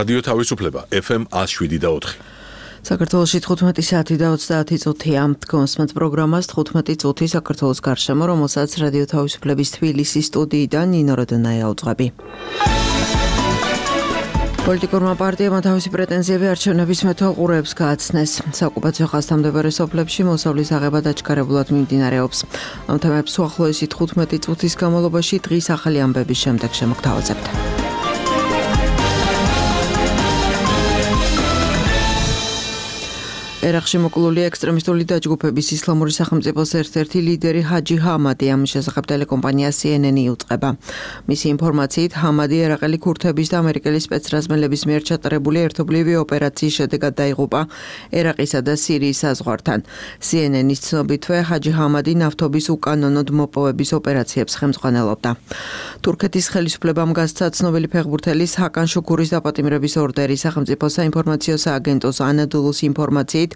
რადიო თავისუფლება FM 107.4. საქართველოში 15 საათი და 30 წუთია. კონსმენთ პროგრამას 15 წუთი საქართველოს გარშემო, რომელსაც რადიო თავისუფლების თბილისის სტუდიიდან ნინო როდონაია უძღვები. პოლიტიკურმა პარტიებმა თავისი პრეტენზიები არჩევნების მეთვალყურეებს გააცნეს. საოკუპაციო ხაზთამდებარე სოფლებში მოსავლის აღება დაჩქარებულად მიმდინარეობს. ამ თემებს უახლოესი 15 წუთის განმავლობაში დღის ახალი ამბების შემდეგ შემოგთავაზებთ. ერაყში მოკლული ექსტრემისტული დაჯგუფების ისლამური სახელმწიფოს ერთ-ერთი ლიდერი ჰაჯი ჰამადი ამის შესახებ ტელეკომპანია CNN იუწყება. მისი ინფორმაციით, ჰამადი ერაყელი ქურთების და ამერიკელი სპეცრაზმელების მიერ ჩატარებული ერთობლივი ოპერაციის შედეგად დაიღუპა ერაყისა და სირიის საზღვართან. CNN-ის ცნობითვე, ჰაჯი ჰამადი ნავთობის უკანონოდ მოპოვების ოპერაციებს ხელმძღვანელობდა. თურქეთის ხელისუფლებამ გასცა ცნობილი ფეხბურთელის ჰაკან შუქურის დაპატიმრების ორდერი. სახელმწიფო საინფორმაციო სააგენტოს ანადოლუს ინფორმაციით,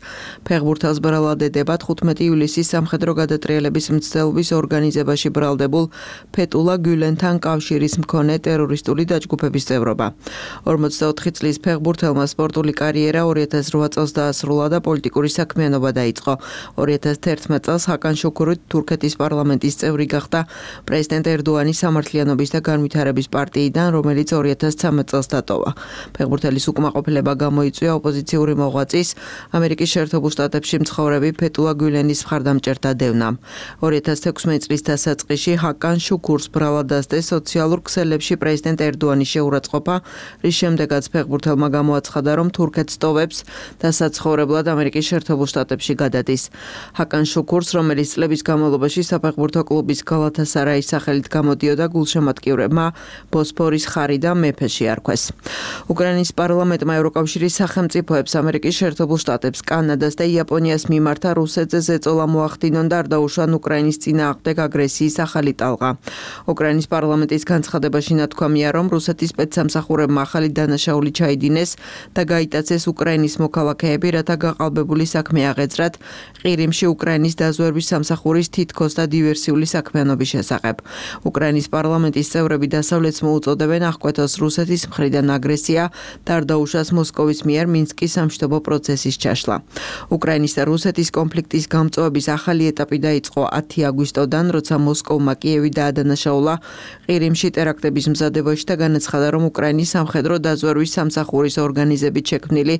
ფეხბურთელს ბრალადედება 15 ივლისის სამხედრო გადატრიალების მცდელობის ორგანიზებაში ბრალდებულ ფეტულა გულენთან კავშირის მქონე ტერორისტული დაჯგუფების წევრობა. 44 წლის ფეხბურთელმა სპორტული კარიერა 2008 წელს დაასრულა და პოლიტიკური საქმიანობა დაიწყო. 2011 წელს ჰაკან შუქური თურქეთის პარლამენტის წევრი გახდა პრეზიდენტ ერდოანის სამართლიანობის და განვითარების პარტიიდან, რომელიც 2013 წელს დატოვა. ფეხბურთელის უკმაყოფილება გამოიწვია ოპოზიციური მოღვაწის ამერიკის შეერთებულ შტატებში მცხოვრები ფეტულა გულენის მხარდამჭერთა დევნამ. 2016 წლის დასაწყისში ჰაკან შუქურს ბრალად დასდეს სოციალურ ქსელებში პრეზიდენტ ერდოანის შეურაცხყოფა, რის შემდეგაც ფეხბურთელმა გამოაცხადა, რომ თურქეთს ტოვებს და საცხოვრებლად ამერიკის შეერთებულ შტატებში გადადის. ჰაკან შუქურს, რომელიც წლების განმავლობაში საფეხბურთო კლუბის გალათასარაის სახელით გამოდიოდა, გულშემატკივრებმა ბოსფორის ხარი და მეფე შეარქვეს. უკრაინის პარლამენტმა ევროკავშირის სახელმწიფოებს ამერიკის შეერთებულ შტატებს, კანადას და იაპონიას მიმართა რუსეთზე ზეწოლა მოახდინონ და არ დაუშვან უკრაინის წინააღმდეგ აგრესიის ახალი ტალღა. უკრაინის პარლამენტის განცხადებაში ნათქვამია, რომ რუსეთის სპეცსამსახურებმა ახალი დანაშაული ჩაიდინეს და გაიტაცეს უკრაინის მოქალაქეები, რათა გაყალბებული საქმე აღეძრათ ყირიმში უკრაინის დაზვერვის სამსახურის თითქოს და დივერსიული საქმიანობის შესახებ. უკრაინის პარლამენტის წევრები დასავლეთს მოუწოდებენ აღკვეთოს რუსეთის მხრიდან აგრესია და არ დაუშვას მოსკოვის მიერ მინსკის სამშვიდობო პროცესის ჩაშლა. უკრაინის და რუსეთის კონფლიქტის გამწვავების ახალი ეტაპი დაიწყო 10 აგვისტოდან, როცა მოსკოვმა კიევი დაადანაშაულა ყირიმში ტერაქტების მზადებაში და განაცხადა, რომ უკრაინის სამხედრო დაზვერვის სამსახურის ორგანიზებით შექმნილი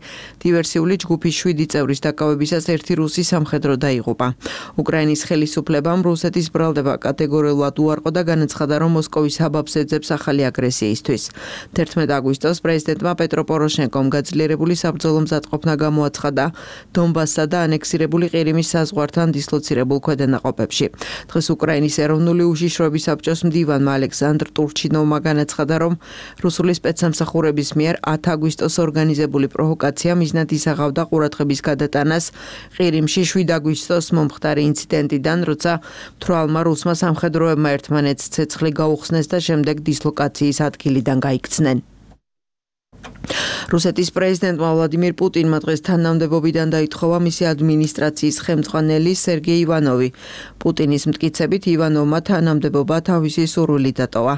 დივერსიული ჯგუფის 7 წევრის დაკავებისას ერთი რუსი სამხედრო დაიღუპა. უკრაინის ხელისუფლებამ რუსეთის ბრალდება კატეგორიულად უარყო და განაცხადა, რომ მოსკოვის აბაბს ეძებს ახალი აგრესიისთვის. 11 აგვისტოს პრეზიდენტმა პეტრო პოროშენკომ გაძლიერებული საბრძოლო მზადყოფნა გამოაცხადა დონბასსა და ანექსირებული ყირიმის საზღვართან დისლოცირებულ ქვედანაყოფებში. დღეს უკრაინის ეროვნული უშიშროების საბჭოს მდივანმა ალექსანდრ ტურჩინოვმა განაცხადა, რომ რუსული სპეცსამსახურების მიერ 10 აგვისტოს ორგანიზებული პროვოკაცია მიზნად ისაღავდა ყურადღების გადატანას ყირიმში 7 აგვისტოს მომხდარი ინციდენტიდან, როცა მთვრალმა რუსმა სამხედროებმა ერთმანეთს ცეცხლი გაუხსნეს და შემდეგ დისლოკაციის ადგილიდან გაიქცნენ. რუსეთის პრეზიდენტმა ვლადიმირ პუტინმა დღეს თანამდებობიდან დაითხოვა მისი ადმინისტრაციის ხელმძღვანელი სერგეი ივანოვი. პუტინის მტკიცებით, ივანოვმა თანამდებობა თავისი სურვილით დატოვა.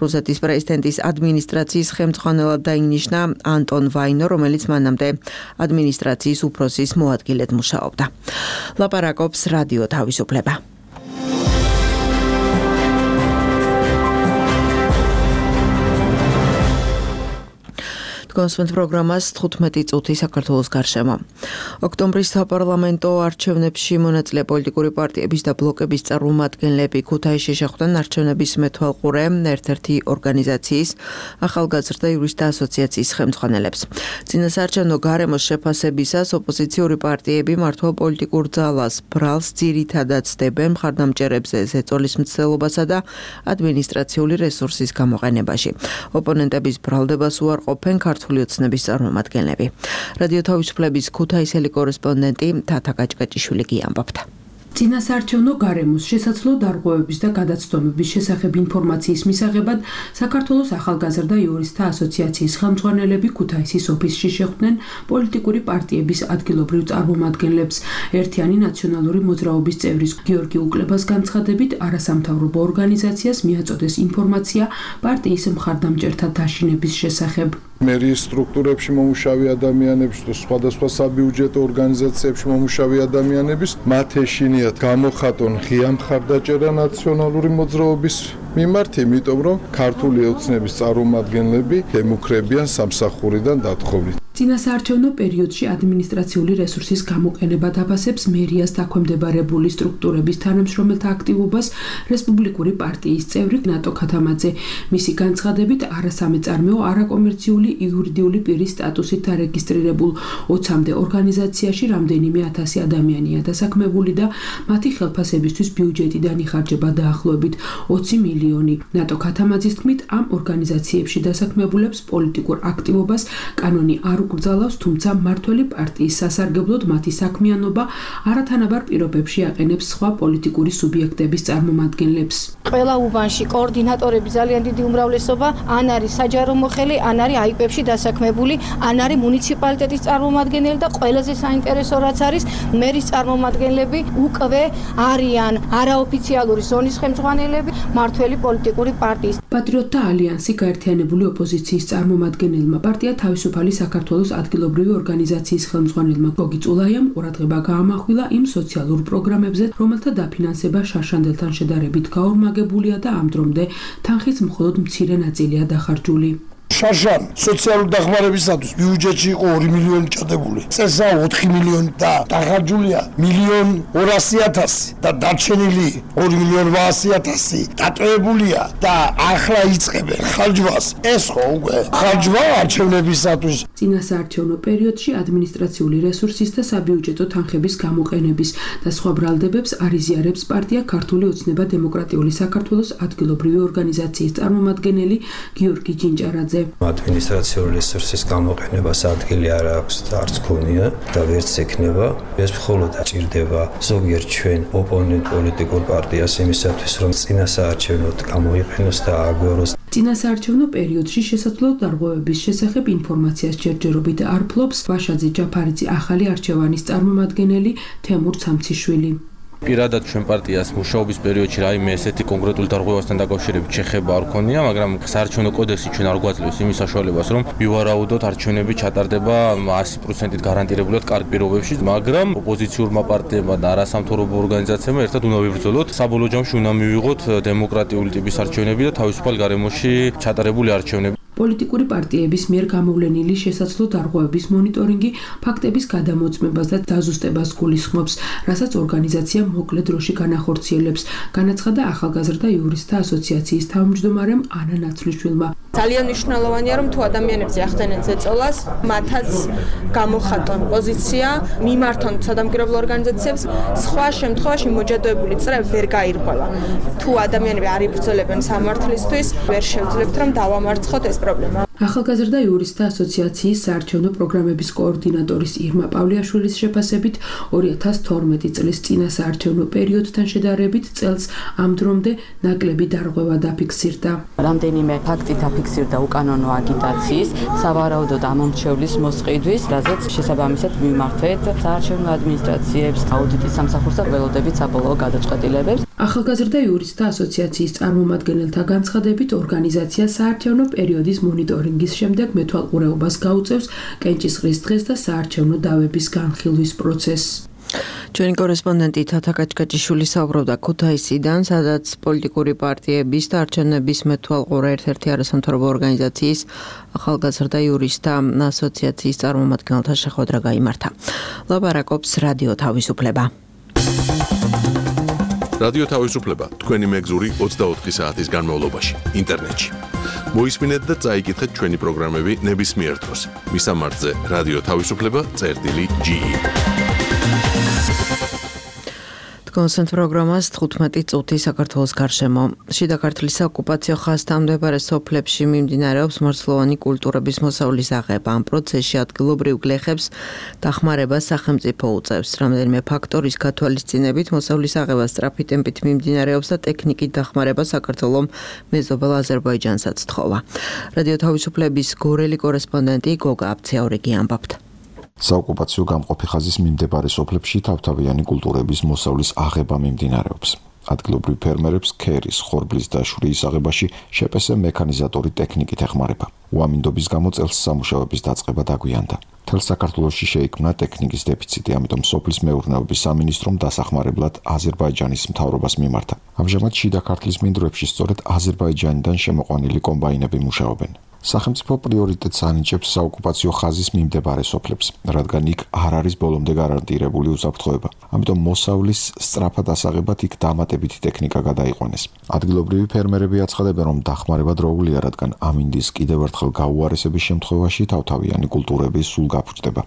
რუსეთის პრეზიდენტის ადმინისტრაციის ხელმძღვანელად დაინიშნა ანტონ ვაინო, რომელიც მანამდე ადმინისტრაციის უფროსის მოადგილედ მუშაობდა. ლაპარაკობს რადიო თავისუფლება. კონსმენთ პროგრამას 15 წუთი საქართველოს გარშემო. ოქტომბრის საპარლამენტო არჩევნებში მონაწილე პოლიტიკური პარტიების და ბლოკების წარმომადგენლები ქუთაისში შეხვდნენ არჩევნების მეთვალყურე ერთ-ერთი ორგანიზაციის ახალგაზრდა იურისტთა ასოციაციის ხელმძღვანელებს. წინასაარჩევნო გარემოს შეფასებისას ოპოზიციური პარტიები მართულ პოლიტიკურ ძალას ბრალს ძირითადად ცდებენ მხარდამჭერებზე ზეწოლის მცდელობასა და ადმინისტრაციული რესურსის გამოყენებაში. ოპონენტების ბრალდებას უარყოფენ ქართული ოცნების წარმომადგენლები. რადიო თავისუფლების ქუთაისელი კორესპონდენტი თათა გაჭკაჭიშვილი გიამბობთ. წინასაარჩევნო გარემოს შესაძლო დარღვევების და გადაცდომების შესახებ ინფორმაციის მისაღებად საქართველოს ახალგაზრდა იურისტთა ასოციაციის ხელმძღვანელები ქუთაისის ოფისში შეხვდნენ პოლიტიკური პარტიების ადგილობრივ წარმომადგენლებს. ერთიანი ნაციონალური მოძრაობის წევრის გიორგი უკლებას განცხადებით, არასამთავრობო ორგანიზაციას მიაწოდეს ინფორმაცია პარტიის მხარდამჭერთა დაშინების შესახებ. მერიის სტრუქტურებში მომუშავე ადამიანების და სხვადასხვა საბიუჯეტო ორგანიზაციებში მომუშავე ადამიანების მათ ეშინიათ გამოხატონ ღია მხარდაჭერა ნაციონალური მოძრაობის მიმართ, იმიტომ რომ ქართული ოცნების წარმომადგენლები ემუქრებიან სამსახურიდან დათხოვით. წინასაარჩევნო პერიოდში ადმინისტრაციული რესურსის გამოყენება დაფასებს მერიას დაქვემდებარებული სტრუქტურების თანამშრომელთა აქტივობას რესპუბლიკური პარტიის წევრი ნატო ქათამაძე. მისი განცხადებით, არასამეწარმეო არაკომერციული იურიდიული პირის სტატუსით დარეგისტრირებულ 20-მდე ორგანიზაციაში რამდენიმე ათასი ადამიანია დასაქმებული და მათი ხელფასებისთვის ბიუჯეტიდან იხარჯება დაახლოებით 20 მილიონი. ნატო ქათამაძის თქმით, ამ ორგანიზაციებში დასაქმებულებს პოლიტიკურ აქტივობას კანონი არ უკრძალავს, თუმცა მმართველი პარტიის სასარგებლოდ მათი საქმიანობა არათანაბარ პირობებში აყენებს სხვა პოლიტიკური სუბიექტების წარმომადგენლებს. ყველა უბანში კოორდინატორები ძალიან დიდი უმრავლესობა ან არის საჯარო მოხელი, ან არის აიპებში დასაქმებული, ან არის მუნიციპალიტეტის წარმომადგენელი და ყველაზე საინტერესო რაც არის, მერის წარმომადგენლები უკვე არიან არაოფიციალური ზონის ხელმძღვანელები მმართველი პოლიტიკური პარტიის. პატრიოტთა ალიანსი გაერთიანებული ოპოზიციის წარმომადგენელმა პარტია თავისუფალი საქართველოს ადგილობრივი ორგანიზაციის ხელმძღვანელმა გოგი წულაიამ ყურადღება გაამახვილა იმ სოციალურ პროგრამებზე, რომელთა დაფინანსება შარშანდელთან შედარებით გაორმაგებულია და ამ დრომდე თანხის მხოლოდ მცირე ნაწილია დახარჯული. შარშან სოციალური დახმარებისათვის ბიუჯეტში იყო 2 მილიონი ჭადებული. წესაა 4 მილიონი და დახარჯულია 1.200.000 და დარჩენილი 2.800.000 დატოვებულია და ახლა იწყებენ ხარჯვას. ეს ხო უკვე ხარჯვა არჩევნებისათვის. წინასაარჩევნო პერიოდში ადმინისტრაციული რესურსის და საბიუჯეტო თანხების გამოყენების და სხვა ბრალდებებს არიზიარებს პარტია ქართული ოცნება დემოკრატიული საქართველოს ადგილობრივი ორგანიზაციის წარმომადგენელი გიორგი ჯინჭარაძე. ადმინისტრაციული რესურსის გამოყენებას ადგილი არ აქვს და არც ქონია და ვერც ექნება. ეს მხოლოდ ჭირდება ზოგიერთ ჩვენ ოპონენტ პოლიტიკურ პარტიას იმისათვის, რომ წინასაარჩევნოდ გამოიყენოს და აგვეროს. წინასაარჩევნო პერიოდში შესაძლო დარღვევების შესახებ ინფორმაციას ჯერჯერობით არ ფლობს ვაშაძე ჯაფარიძე ახალი არჩევანის წარმომადგენელი თემურ ცამციშვილი. პირადად ჩვენ პარტიას მუშაობის პერიოდში რაიმე ესეთი კონკრეტული დარღვევასთან დაკავშირებით შეხება არ ქონია, მაგრამ საარჩევნო კოდექსი ჩვენ არ გვაძლევს იმის საშუალებას, რომ მივარაუდოთ არჩევნები ჩატარდება 100%-ით გარანტირებულად კარგ პირობებში, მაგრამ ოპოზიციურმა პარტიებმა და არასამთავრობო ორგანიზაციებმა ერთად უნდა ვიბრძოლოთ. საბოლოო ჯამში უნდა მივიღოთ დემოკრატიული ტიპის არჩევნები და თავისუფალ გარემოში ჩატარებული არჩევნები. პოლიტიკური პარტიების მიერ გამოვლენილი შესაძლო დარღვევების მონიტორინგი ფაქტების გადამოწმებას და დაზუსტებას გულისხმობს, რასაც ორგანიზაცია მოკლე დროში განახორციელებს, განაცხადა ახალგაზრდა იურისტთა ასოციაციის თავმჯდომარემ ანა ნაცვლიშვილმა. ძალიან მნიშვნელოვანია, რომ თუ ადამიანებზე ახდენენ ზეწოლას, მათაც გამოხატონ პოზიცია, მიმართონ სადამკვირვებლო ორგანიზაციებს, სხვა შემთხვევაში მოჯადოებული წრე ვერ გაირღვევა. თუ ადამიანები არ იბრძოლებენ სამართლისთვის, ვერ შევძლებთ, რომ დავამარცხოთ ეს პრობლემა. ახალგაზრდა იურისტთა ასოციაციის საარჩევნო პროგრამების კოორდინატორის ირმა პავლიაშვილის შეფასებით 2012 წლის წინასაარჩევნო პერიოდთან შედარებით წელს ამ დრომდე ნაკლები დარღვევა დაფიქსირდა. რამდენიმე ფაქტი დაფიქსირდა უკანონო აგიტაციის, სავარაუდოდ ამომრჩევლის მოსყიდვის, რაზეც შესაბამისად მიმართვეთ საარჩევნო ადმინისტრაციებს, აუდიტის სამსახურს და ველოდებით საბოლოო გადაწყვეტილებებს. ახალგაზრდა იურისტთა ასოციაციის წარმომადგენელთა განცხადებით ორგანიზაცია საარჩევნო პერიოდის მონიტორინგის შემდეგ მეთვალყურეობას გაუწევს კენჭისყრის დღეს და საარჩევნო დავების განხილვის პროცესს. ჩვენი კორესპონდენტი თათა კაჭკაჭიშვილი საუბრობდა ქუთაისიდან, სადაც პოლიტიკური პარტიების და არჩევნების მეთვალყურე ერთ-ერთი არასამთავრობო ორგანიზაციის ახალგაზრდა იურისტთა ასოციაციის წარმომადგენელთა შეხვედრა გაიმართა. ლაპარაკობს რადიო თავისუფლება. რადიო თავისუფლება თქვენი მეგზური 24 საათის განმავლობაში ინტერნეტში. მოისმინეთ და წაიკითხეთ ჩვენი პროგრამები ნებისმიერ დროს. მისამართზე რადიო თავისუფლება.ge. კონსენტ პროგრამას 15 წუთი საქართველოს გარშემო. შიდა ქართლის ოკუპაციო ხაზთან მდებარე სოფლებში მიმდინარეობს მარცვლოვანი კულტურების მოსავლის აღება. ამ პროცესში ადგილობრივ გლეხებს დახმარებას სახელმწიფო უწევს. რამდენიმე ფაქტორის გათვალისწინებით მოსავლის აღება სწრაფი ტემპით მიმდინარეობს და ტექნიკით დახმარება საქართველოს მეზობელ აზერბაიჯანსაც თხოვა. რადიო თავისუფლების გორელი კორესპონდენტი გოგა აბციაურიგი ამბობთ. საოკუპაციო გამყოფი ხაზის მიმდებარე სოფლებში თავთავიანი კულტურების მოსავლის აღება მიმდინარეობს. ადგილობრივ ფერმერებს ქერის, ხორბლის და შვრიის აღებაში შპს მექანიზატორი ტექნიკით ეხმარება. უამინდობის გამო წელს სამუშაოების დაწყება დაგვიანდა. მთელ საქართველოში შეიქმნა ტექნიკის დეფიციტი, ამიტომ სოფლის მეურნეობის სამინისტრომ დასახმარებლად აზერბაიჯანის მთავრობას მიმართა. ამჟამად შიდა ქართლის მინდვრებში სწორედ აზერბაიჯანიდან შემოყვანილი კომბაინები მუშაობენ. სახელმწიფო პრიორიტეტს ანიჭებს საოკუპაციო ხაზის მიმდებარე სოფლებს, რადგან იქ არ არის ბოლომდე გარანტირებული უსაფრთხოება. ამიტომ მოსავლის სწრაფად ასაღებად იქ დამატებითი ტექნიკა გადაიყვანეს. ადგილობრივი ფერმერები აცხადებენ, რომ დახმარება დროულია, რადგან ამინდის კიდევ ერთხელ გაუარესების შემთხვევაში თავთავიანი კულტურები სულ გაფუჭდება.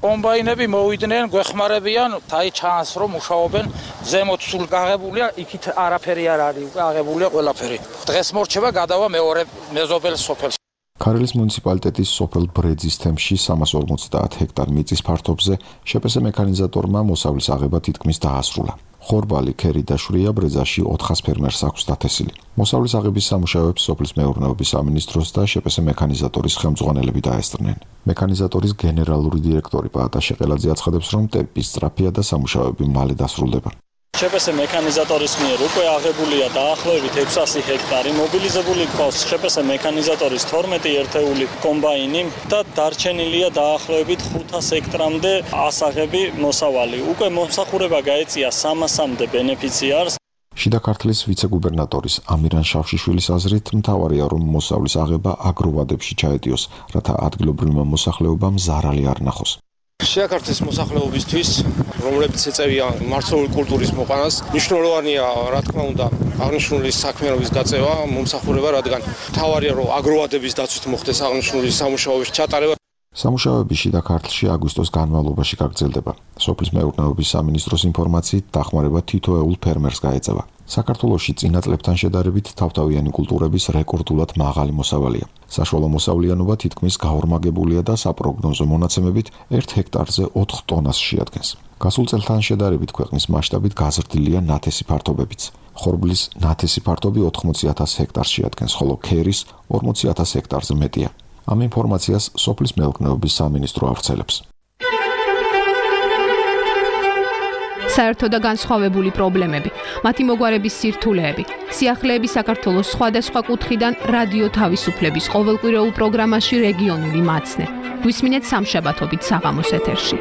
კომბაინები მოვიდნენ, გვეხმარებიან, აი ჩანს რომ მუშაობენ, ზემოთ სულ გაღებულია, იქით არაფერი არ არის, გაღებულია ყველაფერი. დღეს მორჩება გადავა მეორე მეზობელ სოფელს. ქარელის მუნიციპალიტეტის სოფელ ბრეძის თემში 350 ჰექტარ მიწის ფართობზე შპს მექანიზატორმა მოსავლის აღება თითქმის დაასრულა. ხორბალი, ქერი და შვრია ბრეძაში 400 ფერმერს აქვს დათესილი. მოსავლის აღების სამუშაოებს სოფლის მეურნეობის სამინისტროს და შპს მექანიზატორის ხელმძღვანელები დაესწრნენ. მექანიზატორის გენერალური დირექტორი პაატა შეყელაძე აცხადებს, რომ ტემპი სწრაფია და სამუშაოები მალე დასრულდება. შპს მექანიზატორის მიერ უკვე აღებულია დაახლოებით 600 ჰექტარი, მობილიზებული გვყავს შპს მექანიზატორის 12 ერთეული კომბაინი და დარჩენილია დაახლოებით 500 ჰექტრამდე ასაღები მოსავალი. უკვე მომსახურება გაეწია 300-მდე ბენეფიციარს. შიდა ქართლის ვიცე-გუბერნატორის ამირან შავშიშვილის აზრით, მთავარია რომ მოსავლის აღება აგროვადებში ჩაეტიოს, რათა ადგილობრივმა მოსახლეობამ ზარალი არ ნახოს. შიდა ქართლის მოსახლეობისთვის, რომლებიც ეწევიან მარცვლეული კულტურის მოყანას, მნიშვნელოვანია, რა თქმა უნდა, აღნიშნული საქმიანობის გაწევა, მომსახურება, რადგან მთავარია რომ აგროვადების დაცვით მოხდეს აღნიშნული სამუშაოების ჩატარება. სამუშაოები შიდა ქართლში აგვისტოს განმავლობაში გაგრძელდება. სოფლის მეურნეობის სამინისტროს ინფორმაციით, დახმარება თითოეულ ფერმერს გაეწევა. საქართველოში წინა წლებთან შედარებით თავთავიანი კულტურების რეკორდულად მაღალი მოსავალია. საშუალო მოსავლიანობა თითქმის გაორმაგებულია და საპროგნოზო მონაცემებით 1 ჰექტარზე 4 ტონას შეადგენს. გასულ წელთან შედარებით ქვეყნის მასშტაბით გაზრდილია ნათესი ფართობებიც. ხორბლის ნათესი ფართობი 80,000 ჰექტარს შეადგენს, ხოლო ქერის 40,000 ჰექტარზე მეტია. ამ ინფორმაციას სოფლის მეურნეობის სამინისტრო ავრცელებს. საერთო და განსხვავებული პრობლემები, მათი მოგვარების სირთულეები, სიახლეები საქართველოს სხვადასხვა კუთხიდან რადიო თავისუფლების ყოველკვირეულ პროგრამაში რეგიონული მაცნე. გვისმინეთ სამშაბათობით საღამოს ეთერში.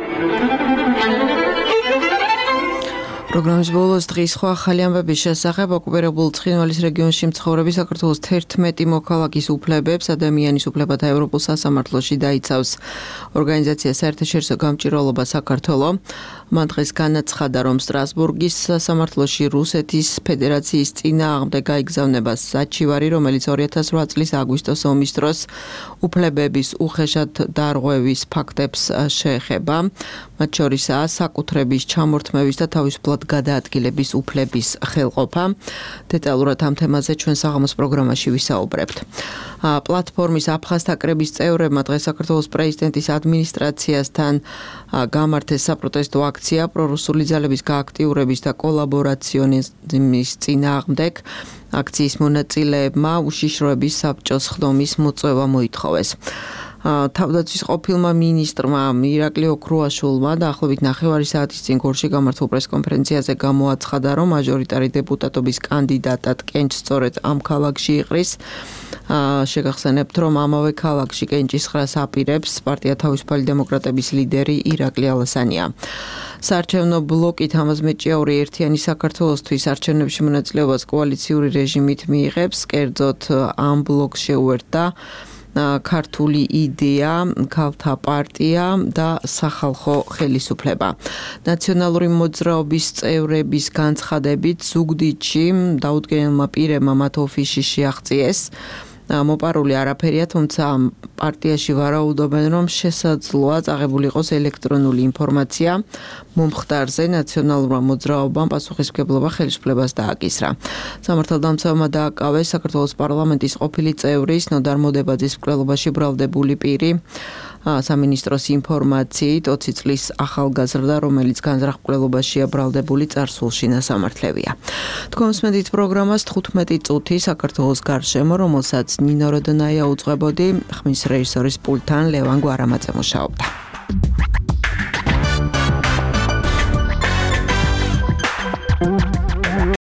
პროგრამის ბოლოს დღის სხვა ახალი ამბების შესახებ ოკუპირებულ ცხინვალის რეგიონში მცხოვრები საქართველოს 11 მოქალაქის უფლებებს ადამიანის უფლებათა ევროპულ სასამართლოში დაიცავს ორგანიზაცია საერთაშორისო გამჭირვალობა საქართველო. მან დღეს განაცხადა, რომ სტრასბურგის სასამართლოში რუსეთის ფედერაციის წინააღმდეგ გაიგზავნება საჩივარი, რომელიც 2008 წლის აგვისტოს ომის დროს უფლებების უხეშად დარღვევის ფაქტებს შეეხება. მათ შორისაა საკუთრების ჩამორთმევის და თავისუფლად გადაადგილების უფლების ხელყოფა. დეტალურად ამ თემაზე ჩვენ საღამოს პროგრამაში ვისაუბრებთ. პლატფორმის აფხაზთა კრების წევრებმა დღეს საქართველოს პრეზიდენტის ადმინისტრაციასთან გამართეს საპროტესტო აქცია პრორუსული ძალების გააქტიურების და კოლაბორაციონიზმის წინააღმდეგ. აქციის მონაწილეებმა უშიშროების საბჭოს ხდომის მოწვევა მოითხოვეს. თავდაცვის ყოფილმა მინისტრმა ირაკლი ოქრუაშვილმა დაახლოებით 9 საათის წინ გორში გამართულ პრესკონფერენციაზე გამოაცხადა, რომ მაჟორიტარი დეპუტატობის კანდიდატად კენჭ სწორედ ამ ქალაქში იყრის. შეგახსენებთ, რომ ამავე ქალაქში კენჭისყრას აპირებს პარტია თავისუფალი დემოკრატების ლიდერი ირაკლი ალასანია. საარჩევნო ბლოკი თამაზ მეჭიაური ერთიანი საქართველოსთვის არჩევნებში მონაწილეობას კოალიციური რეჟიმით მიიღებს. კერძოდ ამ ბლოკს შეუერთდა ქართული იდეა, ქალთა პარტია და სახალხო ხელისუფლება. ნაციონალური მოძრაობის წევრების განცხადებით ზუგდიდში დაუდგენელმა პირებმა მათ ოფისში შეაღწიეს. მოპარული არაფერია, თუმცა პარტიაში ვარაუდობენ, რომ შესაძლოა წაღებული იყოს ელექტრონული ინფორმაცია მომხდარზე. ნაციონალურმა მოძრაობამ პასუხისმგებლობა ხელისუფლებას დააკისრა. სამართალდამცავმა დააკავეს საქართველოს პარლამენტის ყოფილი წევრის ნოდარ მოდებაძის მკვლელობაში ბრალდებული პირი. სამინისტროს ინფორმაციით 20 წლის ახალგაზრდა, რომელიც განზრახ-მკვლელობაშია ბრალდებული, წარსულში ნასამართლევია. თქვენ მსმენთ პროგრამას 15 წუთი საქართველოს გარშემო, რომელსაც ნინო როდონაია უძღვებოდი, ხმის რეჟისორის პულტთან ლევან გვარამაძე მუშაობდა.